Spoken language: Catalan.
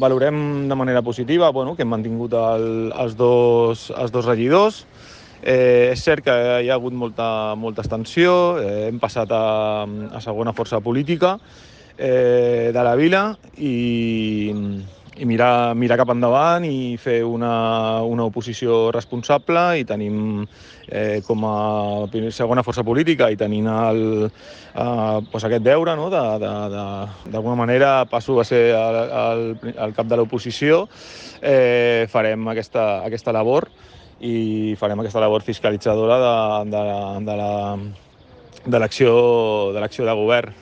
Valorem de manera positiva que hem mantingut els dos regidors. És cert que hi ha hagut molta extensió, hem passat a segona força política de la vila i mirar cap endavant i fer una oposició responsable, i tenim com a segona força política i tenint aquest deure, no? D'alguna manera passo a ser el cap de l'oposició, farem aquesta labor i farem aquesta labor fiscalitzadora de l'acció de govern.